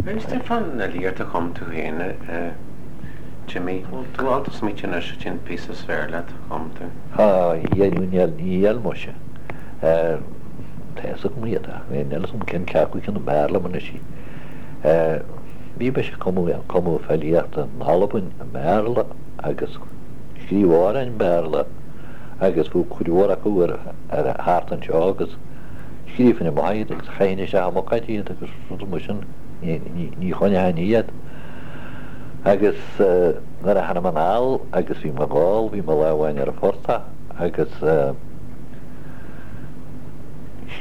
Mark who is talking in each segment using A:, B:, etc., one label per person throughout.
A: Inis dúinn fán fhilíocht a chum tú féin, a Jimmy. Bhfuil tú ábalta smaoitiú anois cén píosa is fearr leat a chum tú?
B: Níl, níl muise. Tá fhios agam iad ach níl fhios agam cén ceathú ceann ab fhearr liom anois í. Bhí mise ag cumadh filíochta in Albain i mBéarla agus scríobh amhráin i mBéarla agus bhí cuid mhór acu ar thart anseo agus scríobhainn amach iad agus chaithfinn isteach i mbuicéid iad agus rudaí mar sin, ní choinneochainn iad. Agus nuair a tháinig mé anall agus bhí mé ag gabháil, bhí mé lá amháin ar an phortach agus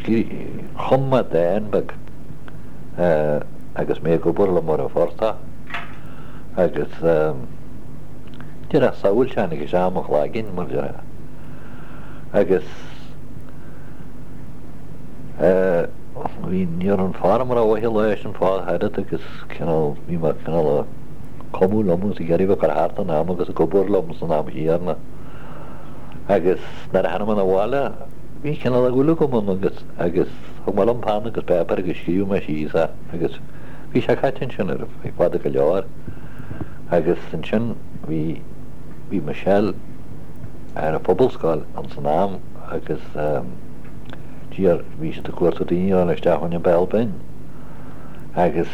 B: chum mé dán beag agus mé ag obair liom ar an phortach agus díreach samhail a tháinig isteach i mo chloigeann mar déarfá agus bhí, ní raibh an form rómhaith an lá sin fá oiread agus cineál, bhí mé cineál ag cumadh liom agus ag iarraidh bheith ag cur thart an am agus ag obair liom san am chéanna. Agus nuair a tháinig mé 'na bhaile bhí cineál de dhúil agam ann agus, agus thug mé liom peann agus páipéar agus scríobh mé síos é agus bhí sé caite ansin ar feadh fada go leor. Agus ansin bhí, bhí Michelle ar an Phobalscoil ins an am agus d'iarr, bhí siad ag cuartú daoine a fháil isteach chun an Béal Binn agus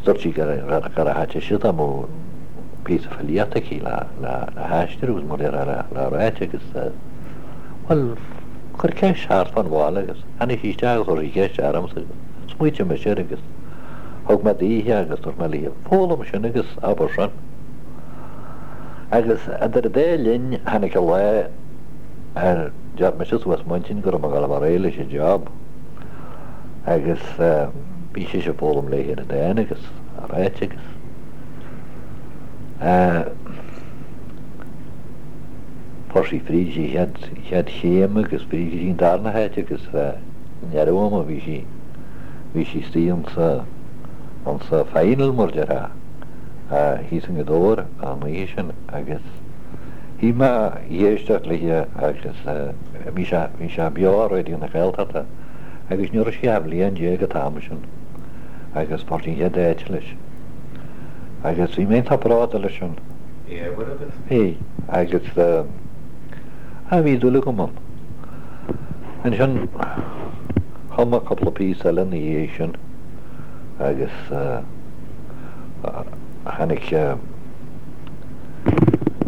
B: dúirt sí gur thaitin sé dá mbeadh píosa filíochta aici le haistriú agus mar le ráit agus bhuel chuir ceist thart fán bhaile agus tháinig sí isteach agus chuir sí ceist ormsa agus smaoitigh mise air agus thug mé daoithe agus dúirt mé léi foghlaim sin agus abair sin. Agus idir an dá linn tháinig an lá ar deir mise suas m'intinn go raibh mé ag dul a bheith réidh leis an job agus bhí sise ag foghlaim léi ar an dán agus á ráit agus fuair sí fríd an chéad chéim agus fríd go dtí an darna háit agus i ndeireadh ama bhí sí bhí sí istigh insa insa final mar déarfá. thíos i nGaoth Dobhair an oíche sin agus shuigh mé ag éisteacht léi agus bhí sé, bhí sé beo ar Raidió na Gaeltachta agus ní raibh sí ach bliain déag an t-am sin agus fuair sí an chéad áit leis. Agus bhí mé iontach bródúil leis sin.
A: Bhí ábhar agat?
B: Bhí, agus ah bhí dúil agam ann. Ansin chum mé cúpla píosa eile ina dhiaidh sin agus Tháinig,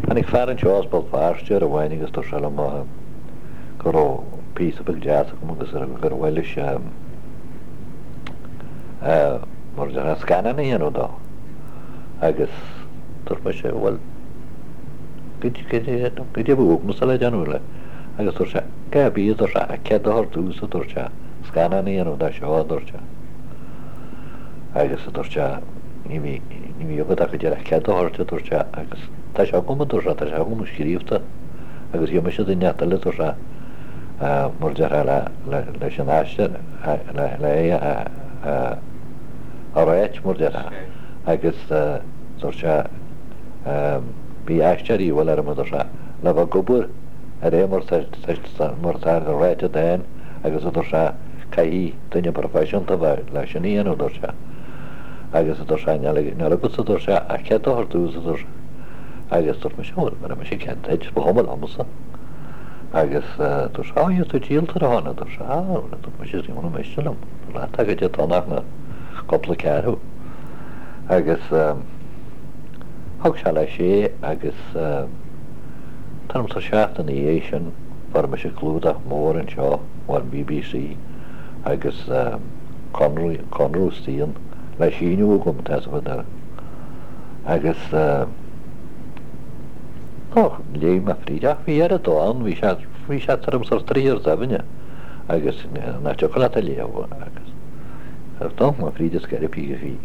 B: tháinig fear anseo as Béal Feirste uair amháin agus dúirt sé liom go raibh píosa beag deas agam agus gur mhaith leis mar a déarfá scannán a dhéanamh dó. Agus dúirt mise bhuel goidé a bheadh agamsa le déanamh le agus dúirt sé cé bith a dúirt sé ach cead a thabhairt domhsa a dúirt sé scannán a dhéanamh dó seo a dúirt sé. Agus a dúirt sé, ní bhí agat ach go díreach cead a thabhairt, a dúirt sé, agus tá sé agam, a dúirt sé, tá sé agam scríobhta agus gheobhaidh mise duine inteacht eile, a dúirt sé, mar a déarfá leis an aistear, le é a ráit, mar a déarfá. Agus dúirt sé, bhí aisteoirí a bhfuil orm, a dúirt sé, le bheith ag obair ar é mar atá ráite i dán agus a dúirt sé, caithfidh duine proifisiúnta bheith leis sin a dhéanamh, a dúirt sé. Agus a dúirt sé, níl agatsa, a dúirt sé, ach cead a thabhairt domhsa, a dúirt sé. Agus dúirt mise, bhuel, bhéarfaidh mise cead duit, ba chuma liomsa. Agus dúirt sé, á, tá tú díolta ar a shon, a dúirt sé. Á, bhuel, a dúirt mise, is ní miste liom, leat agat é tonach na cúpla ceathrú. Agus thug sé leis é agus tuairim is seachtain ina dhiaidh sin, fuair mise clúdach mór anseo ón BBC agus conradh, conradh istigh ann le síniú agam, tá 'fhios agat. Agus ó, léigh mé fríd ach bhí oiread dó ann, bhí sé, bhí sé tuairim is troigh ar doimhne agus nach dtiocfadh leat a léamh agus d'amharc mé fríd is go bhí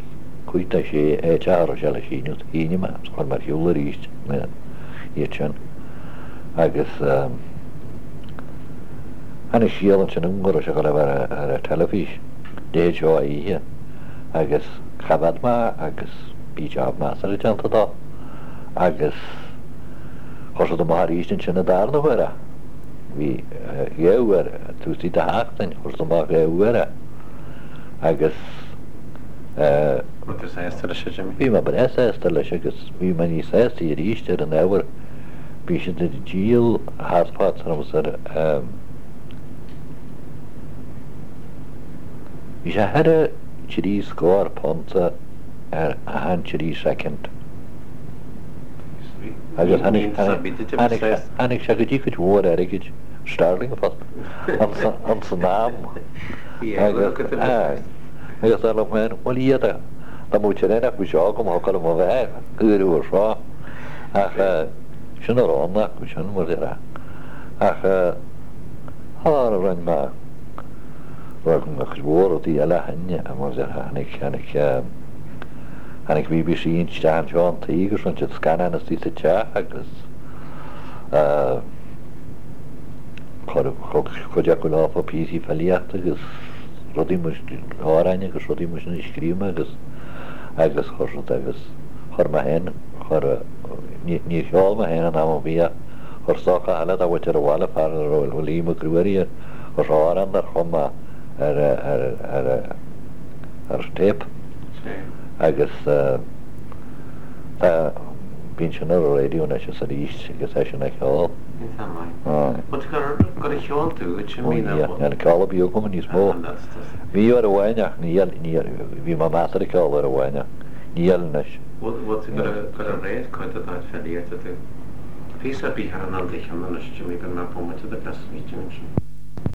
B: 5 de 6 áit a raibh sé le síniú, shínigh mé agus chuir mé ar shiúl arís iad sin agus tháinig scéal ansin agam go raibh sé ag dul a bheith ar an teilifís leithéid seo oíche agus choimhéad mé agus bhí job measartha déanta dó agus chuir siad amach arís ansin an darna huair é. Bhí dhá uair, taobh istigh de sheachtain, chuir siad amach dhá uair é. Agus eh.
A: Raibh tú sásta leis, a Jimmy?
B: Bhí mé breá sásta leis agus bhí mé níos sásta arís ar an ábhar. Bhí siad ag díol thart fá ar eh. Bhí sé thar 30 punt ar achan 3 soicind. Agus tháinig sé go dtí cuid mhór airgid, sterling fosta, ins an am. Agus dar liom féin, bhuel iad a, dá mbeadh traenach faoi seo agam, thiocfadh liom a bheith ag uair seo. Ach sin a raibh ann acu sin, mar déarfá. Ach rinne mé, rinne mé cuid mhór rudaí eile ó shin, mar déarfá, tháinig, tháinig, Tháinig BBC isteach anseo an taobh agus rinne siad scannán istigh sa teach agus chuir cuid acu leofa píosaí filíochta agus rudaí mar amhráin agus rudaí mar sin a scríobh mé agus agus chuir siad agus chuir mé féin chuir níor cheol mé féin in am ar bith ach chuir stócach eile dá mhuintir abhaile fear a raibh Liam Mac Ruairí air chuir sé amhrán dár chum mé ar ar ar ar téip agus tá bíonn sin ar an raidió anois is arís agus é sin á cheol.
A: Iontach maith. But gur gur cheol tú it sin mí na.
B: Níl ceol ar bith agam níos mó. Bhí uair amháin ach níl níl bhí mé measartha ag ceol uair amháin ach níl anois.
A: Bhfuil tú gur gur réir cuid de do filíocht tú. Píosa ar bith ar an an do cheann anois Jimmy go mbeadh bomaite de glas smaointe ansin.